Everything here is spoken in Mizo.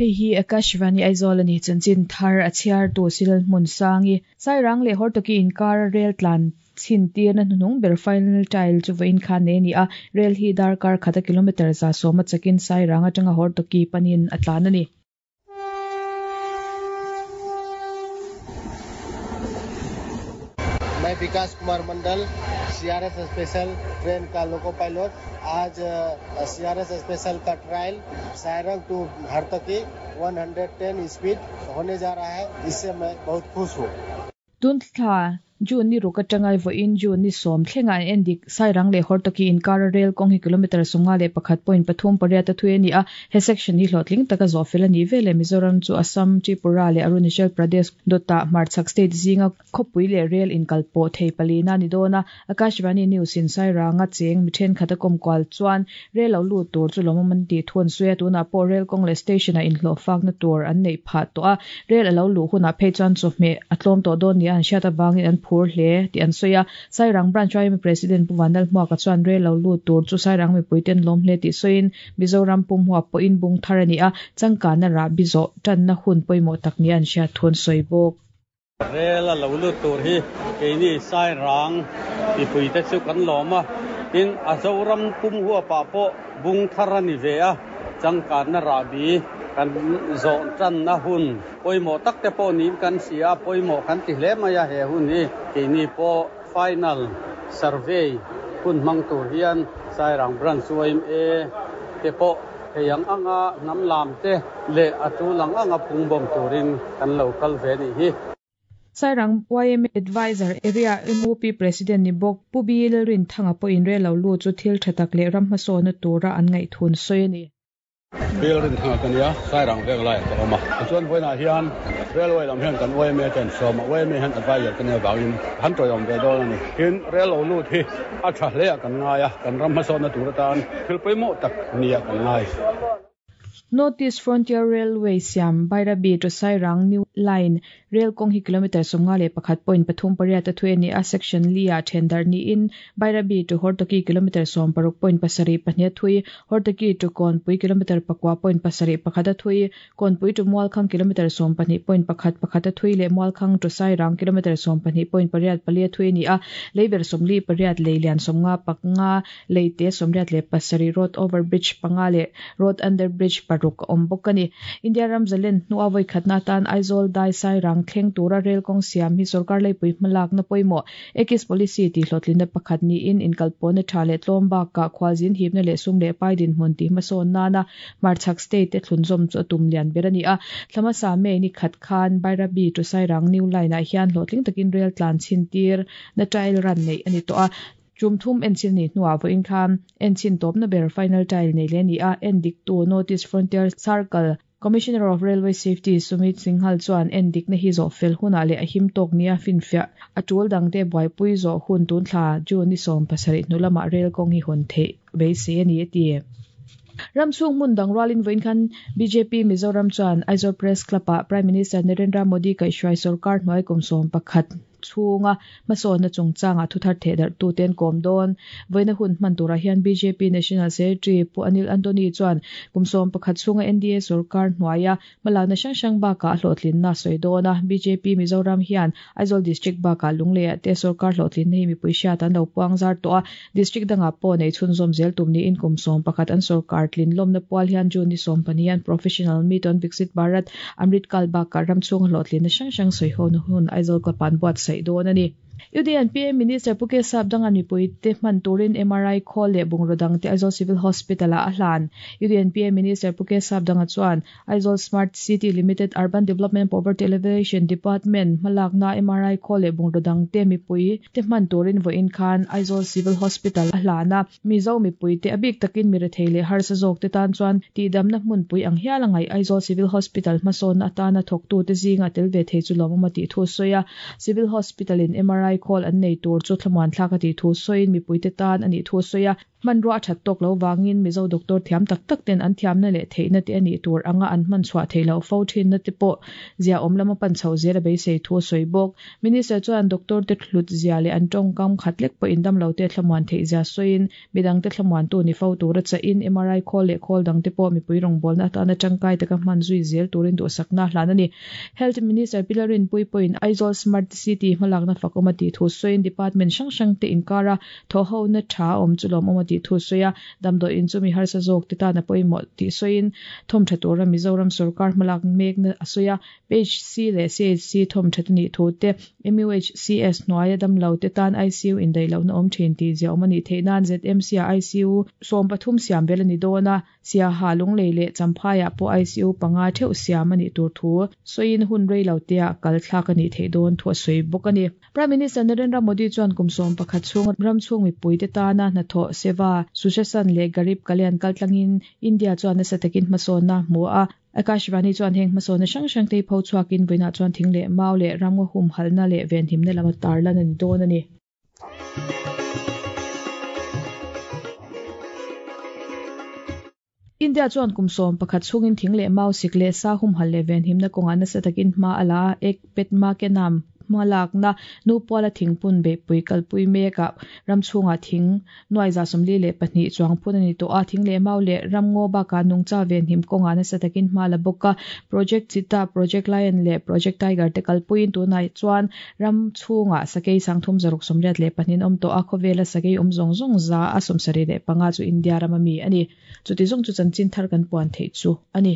Hei hi Akashvani Aizawl a ni. Chanchin thar a chhiartu Silal Hmunsangi, Sairang leh Hortoki inkara rel tlan chhin tirna hnuhnung ber final trial chu vawiin khan nei a ni a, rel hi darkar khata kilometre 110 chakin Sairang atanga Hortoki panin a tlan a ni. मैं विकास कुमार Mandal CRS special train का loco pilot आज CRS special का trial Sairang to Hartoki 110 speed होने जा रहा है इससे मैं बहुत खुश हूँ Tun thla June ni ruk atanga vawiin June ni sawm thlenga an endik Sairang leh Hortoki inkara rel kawng hi kilometre 51.38 a thui a ni a, he section hi hlawhtling taka zawh fel a nih veleh Mizoram chu Assam, Tripura leh Arunachal Pradesh dawtah hmarchhak state zinga khawpui leh rel inkal pawh thei palina a ni dawn a, Akashvani News in Sairanga cheng mi thenkhat a kawm kual chuan rel lo lut tur chu lawmawm an tih thu an sawi a, tunah pawh rel kawng leh station ah inhlawh fakna tur an neih phah tawh a, rel a lo luh hunah phei chuan chawhmeh a tlawm tawh dawn nia an hriat avangin an phur hle tih an sawi a, Sairang Branch YMA President Pu Vanlalhmuaka chuan rel lo lut tur chu Sairang mipuite an lawm hle tih sawiin Mizoram pumhua pawhin bung thar a ni a, changkanna rahbi zawh tanna hun pawimawh tak nia an hriat thu an sawi bawk. Rel a lo lut tur hi keini Sairang mipuite chu kan lawm a, tin a Zoram pum huapah pawh bung thar a ni ve a, changkanna rahbi kan zawh tanna hun pawimawh tak te pawh niin kan hria a, pawimawh kan ti hle mai a he hun hi keini pawh final survey hun hmang tur hian Sairang Branch yma te pawh Thei ang anga hnam lam te leh a tul ang anga phung bawm turin kan lo kal ve nih hi. Sairang yma Adviser Area MUP President ni bawk Pu Bi Lalrinthanga pawhin rel lo lut chu thil tha tak leh ram hmasawnna tura an ngaihthun sawi a ni. Bi Lalrinthanga ka nia, Sairang vek laiah ka awm a. Tichuan vawiinah hian Railway lam hian kan yma ten sawm a, yma hian Adviser ka nia vangin han tawiawm ve dawn a ni. Tin, rel lo lut hi a tha hleah kan ngai a, kan ram hmasawnna tur atan thil pawimawh tak nia kan ngai. North East Frontier Railway siam Bairabi to Sairang New Line rel kawng hi kilometre 51.38 a thui a ni a, Section li-ah then darh niin Bairabi to Hortoki kilometre 16.72 a thui, Hortoki to Kawnpui kilometre 9.71 a thui, Kawnpui to Mualkhang kilometre 12.11 a thui leh Mualkhang to Sairang kilometre 12.84 a thui a ni a, Leiber 48 lei lian 55 Leite 87 road over bridge panga leh road under bridge paruk a awm bawk a ni. India ram zalen hnua vawi khatna atan Aizawl dai Sairang thleng tura rel kawng siam hi sorkar leipui hmalakna pawimawh Ekis policy tih hlawhtlinna pakhat niin inkalpawhna tha leh tlawm bakah khualzin hipna leh sum leh pai dinhmun tih hmasawn nana hmarchhak state te thlunzawm chu a tum lian ber a ni a. Thla hmasa May ni khat khan Bairabi to Sairang new line ah hian hlawhtling takin rel tlan chhin tir na trial run neih a ni tawh a. Tum thum enchil nih hnuah vawiin khan enchhin tawpna ber final trial nei leh a ni a, endiktu North East Frontier Circle Commissioner of Railway Safety Sumit Singhal chuan endikna hi zawh fel hunah leh a him tawk nia finfiah a tul dangte buaipui zawh hun tun thla June ni 17 hnu lamah rel kawng hi hawn theih beisei a ni a ti. Ram chhung hmun dang rualin vawiin khan bjp Mizoram chuan Aizawl Press Club-ah Prime Minister Narendra Modi kaihhruai sorkar hnuai kum 11 chhunga hmasawnna chungchangah thuthar theh darh tute an kawm dawn. Vawiina hun hman turah hian bjp National Secretary Pu Anil Antony chuan kum 11 chhunga NDA sorkar hnuaia hmalakna hrang hrang bakah a hlawhtlinna a sawi dawn a. Bjp Mizoram hian Aizawl District bakah Lungleiah te sorkar hlawhtlinna hi mipui hriat an lo puang zar tawh a. District dangah pawh nei chhunzawm zel tum niin kum 11 an sorkar tlin lawmna pual hian June ni 12 hian Professional Meet on Viksit Bharat Amrit Kal bakah ram chhunga hlawhtlinna hrang hrang sawiho-na hun Aizawl Club-ah an buatsaih dawn a ni. UDNPA Minister Pu K Sapdanga mipuite hman turin MRI khawl leh bungraw dangte Aizawl Civil Hospital-ah a hlan. UDNPA Minister Pu K Sapdanga chuan Aizawl Smart City Limited Urban Development Poverty Alleviation Department hmalakna MRI khawl leh bungraw dangte mipuite hman turin vawiin khan Aizawl Civil Hospital a hlan a. Mizo mipuite a bik takin mi rethei leh harsa zawkte tan chuan tihdamna hmunpui ang hial a ngaih Aizawl Civil Hospital hmasawnna atana thawktute zinga tel ve thei chu lawmawm a tih thu a sawi a. Civil Hospital in MRI. MRI khawl an nei tur chu thlamuan thlak a tih thu sawiin mipuite tan a nih thu a sawi a. Hmanrua a that tawk lo vangin Mizo doctor thiam tak tak ten an thiamna leh theihna te a nih tur anga an hman chhuah theih loh fo thinna te pawh ziaawm lama pan chhoh zel a beisei thu a sawi bawk. Minister chuan doctor te hlut zia leh an tawngkam khat lek pawhin damlo te thlamuan theih zia sawiin midangte thlamuantu ni fo tura chahin MRI khawl leh khawl dangte pawh mipui rawngbawlna atana tangkai taka hman zui zel turin duhsakna a hlan a ni. Health Minister Pi Lalrinpuii pawhin Aizawl Smart City hmalakna fakawm a tih thu sawiin department hrang hrangte inkara thawhhona tha a awm chu lawmawm a tih thu sawi a, damdawiin chu mi harsa zawk te tan a pawimawh tih sawiin thawmtha tura Mizoram sorkar hmalak mekna a sawi a. PHC leh CHC thawmthat a nih thu te, MUHCS hnuaia damlo te tan ICU indaih lohna awm thin tih ziaawm a nih theih nan ZMC-ah ICU 13 siam vel a ni dawn a, Siaha, Lunglei leh Champhaiah pawh ICU panga theuh siam a nih tur thu sawiin hun rei lo teah kal thlak a nih theih dawn thu a sawi bawk a ni. Prime Minister Narendra Modi chuan kum 11 chhung ram chhung mipuite tana hnathawh Seva, Sushasan leh Garib Kalyan kaltlangin India chuan nasa takin hmasawnna a hmu a, Akashvani chuan heng hmasawnna hrang hrang te hi pho chhuakin vawiinah chuan thing leh mau leh ramngaw humhalhna leh venhimna lama tarlan a ni dawn a ni. India chuan kum 11 chhungin thing leh mau sik leh sa humhalh leh venhimna kawngah nasa takin hma a la a, ek pet ma ke nam hmalakna nu puala thingpun beihpui kalpui mekah ram chhungah thing Nuai 42 chuang phun a ni tawh a, thing leh mau leh ramngaw bakah nungcha venhim kawngah nasa takin hma la bawk a. Project Cheetah, Project Lion leh Project Tiger te kalpuiin tunah chuan ram chhungah sakei 384 an awm tawh a, khawvela sakei awm zawng zawng 175 chu India rama mi a ni. Chuti zawng chu chanchin thar kan puan theih chu a ni.